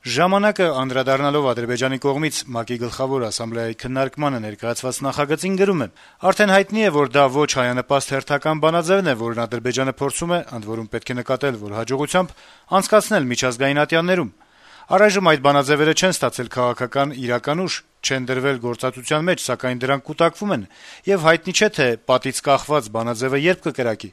Ժամանակը անդրադառնալով Ադրբեջանի կողմից ՄԱԿ-ի գլխավոր ասամբլեայի քննարկմանը ներկայացված նախագծին գրում է. «Արդեն հայտնի է, որ դա ոչ հայանպաստ հերթական բանաձեւն է, որն Ադրբեջանը փորձում է, ընդ որում պետք է նկատել, որ հաջողությամբ, անցկացնել միջազգային ատյաններում։ Առայժմ այդ բանաձեւերը չեն ստացել քաղաքական իրական ուժ, չեն դրվել գործածության մեջ, սակայն դրանք կուտակվում են, եւ հայտնի չէ, թե պատից կախված բանաձեւը երբ կկրակի։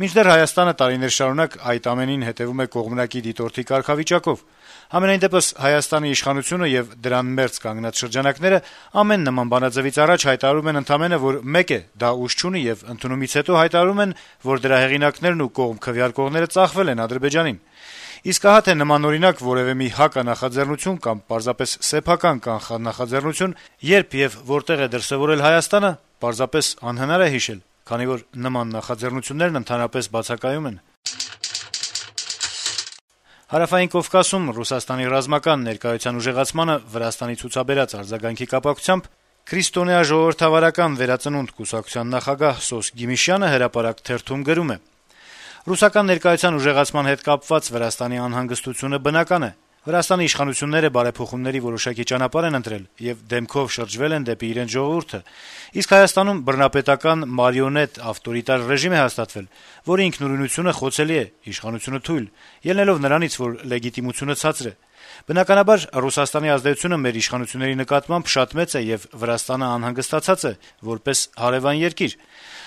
Մինչդեռ Հայաստանը տարիներ շարունակ այդ ամենին հետեւում է կողմնակի դիտորդի կարգավիճակով։ Համենայն դեպս Հայաստանի իշխանությունը եւ դրան մերձ կանգնած շրջանակները ամեն նման բանաձեւից առաջ հայտարարում են ընդամենը, որ մեկ է, դա ուժ չունի եւ ընդունումից հետո հայտարարում են, որ դրա հեղինակներն ու կողմ քվեարկողները ծախվել են Ադրբեջանին։ Իսկ ահա թե նմանօրինակ որեւէ մի հականախաձեռնություն կամ պարզապես սեփական կանխանախաձեռնություն երբ եւ որտեղ է դրսեւորել Հայաստանը, պարզապես անհնար է հիշել, քանի որ նման նախաձեռնություններն ընդհանրապես բացակայում են»։ Հարավային Կովկասում Ռուսաստանի ռազմական ներկայության ուժեղացմանը Վրաստանի ցուցաբերած արձագանքի կապակցությամբ Քրիստոնեա ժողովրդավարական վերածնունդ կուսակցության նախագահ Սոս Գիմիշյանը հրապարակ թերթում գրում է. «Ռուսական ներկայության ուժեղացման հետ կապված Վրաստանի անհանգստությունը բնական է։ Վրաստանի իշխանությունները բարեփոխումների որոշակի ճանապարհ են ընտրել եւ դեմքով շրջվել են դեպի իրենց ժողովուրդը, իսկ Հայաստանում բռնապետական մարիոնետ ավտորիտար ռեժիմ է հաստատվել, որի ինքնուրույնությունը խոցելի է, իշխանությունը թույլ, ելնելով նրանից, որ լեգիտիմությունը ցածր է։ Բնականաբար Ռուսաստանի ազդեցությունը մեր իշխանությունների նկատմամբ շատ մեծ է եւ Վրաստանը անհանգստացած է որպես հարեւան երկիր։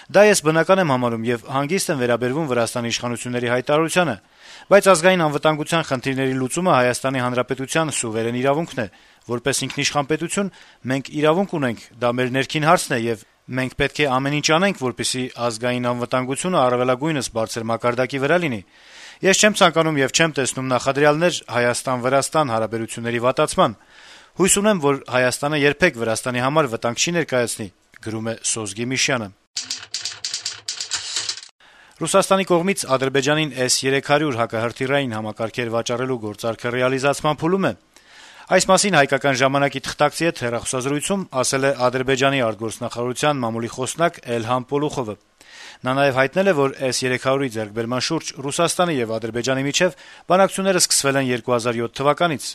Դա ես բնական եմ համարում եւ հանգիստ եմ վերաբերվում Վրաստանի իշխանությունների հայտարարությանը, բայց ազգային անվտանգության խնդիրների լուծումը Հայաստանի Հանրապետության սուվերեն իրավունքն է։ Որպես ինքնիշխան պետություն մենք իրավունք ունենք, դա մեր ներքին հարցն է եւ մենք պետք է ամեն ինչ անենք, որպեսզի ազգային անվտանգությունը առավելագույնս բարձր մակարդակի վրա լինի։ Ես չեմ ցանկանում եւ չեմ տեսնում նախադրյալներ Հայաստան-Վրաստան հարաբերությունների վատացման։ Հույս ունեմ, որ Հայաստանը երբեք Վրաստանի համար վտանգ չի ներկայացնի», գրում է Սոս Գիմիշյանը։ Ռուսաստանի կողմից Ադրբեջանին S-300 հակահրթիռային համակարգեր վաճառելու գործարքը ռեալիզացման փուլում է։ Այս մասին հայկական ժամանակի թղթակցի հետ հեռախոսազրույցում ասել է Ադրբեջանի արտգործնախարարության մամուլի խոսնակ Էլհամ Պոլուխովը։ Նա նաև հայտնել է, որ S-300-ի ձեռքբերման շուրջ Ռուսաստանի եւ Ադրբեջանի միջեւ բանակցությունները սկսվել են 2007 թվականից։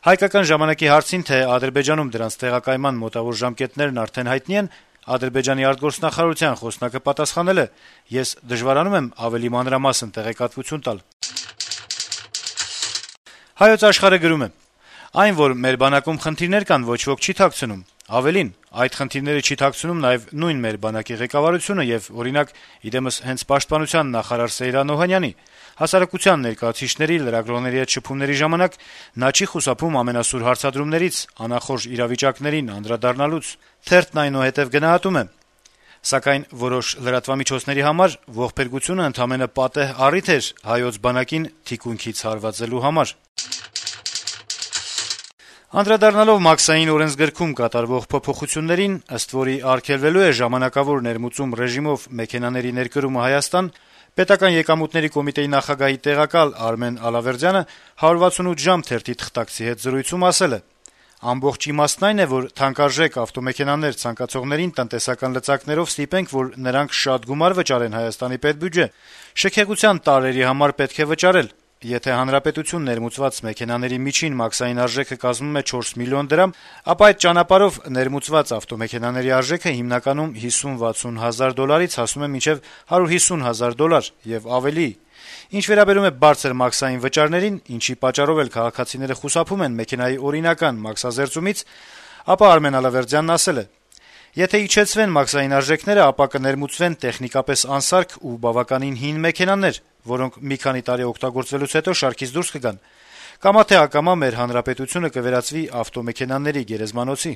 Հայկական ժամանակի հարցին, թե Ադրբեջանում դրանց տեղակայման մոտավոր ժամկետներն արդեն հայտնի են, Ադրբեջանի արտգործնախարարության խոսնակը պատասխանել է. «Ես դժվարանում եմ ավելի մանրամասն տեղեկատվություն տալ»։ Հայոց Աշխարհը գրում է. «Այն, որ մեր բանակում խնդիրներ կան, ոչ ոք չի թաքցնում։ Ավելին, այդ խնդիրները չի թաքցնում նաև նույն մեր բանակի ղեկավարությունը եւ, օրինակ, իդեմս հենց պաշտպանության նախարար Սեյրան Օհանյանի։ Հասարակության ներկայացուցիչների, լրագրողների հետ շփումների ժամանակ նա չի խուսափում ամենասուր հարցադրումներից, անախորժ իրավիճակներին անդրադառնալուց։ Թերթն այնուհետև գնահատում է. Սակայն որոշ լրատվամիջոցների համար ողբերգությունը ընդամենը պատեհ առիթ էր հայոց բանակին թիկունքից հարվածելու համար»։ Անդրադառնալով մաքսային օրենսգրքում կատարվող փոփոխություններին, ըստ որի արգելվելու է ժամանակավոր ներմուծում ռեժիմով մեքենաների ներկրումը Հայաստան, Պետական եկամուտների կոմիտեի նախագահի տեղակալ Արմեն Ալավերդյանը 168 ժամ թերթի թղթակցի հետ զրույցում ասել է. «Ամբողջ իմաստն այն է, որ թանկարժեք ավտոմեքենաներ ցանկացողներին տնտեսական լծակներով ստիպենք, որ նրանք շատ գումար վճարեն Հայաստանի պետբյուջե։ Շքեղության տարրերի համար պետք է վճարել։ Եթե հանրապետություն ներմուծված մեքենաների միջին մաքսային արժեքը կազմում է 4 միլիոն դրամ, ապա այդ ճանապարհով ներմուծված ավտոմեքենաների արժեքը հիմնականում 50-60 հազար դոլարից հասնում է մինչև 150 հազար դոլար եւ ավելի։ Ինչ վերաբերում է բարձր մաքսային վճարներին, ինչի պատճառով էլ քաղաքացիները խուսափում են մեքենայի օրինական մաքսազերծումից, ապա Արմեն Ալավերդյանն ասել է. «Եթե իջեցվեն մաքսային արժեքները, ապա կներմուծվեն տեխնիկապես անսարք ու բավականին հին մեքենաներ, որոնք մի քանի տարի օգտագործվելուց հետո շարքից դուրս կգան։ Կամա թե ակամա մեր հանրապետությունը կվերածվի ավտոմեքենաների գերեզմանոցի»։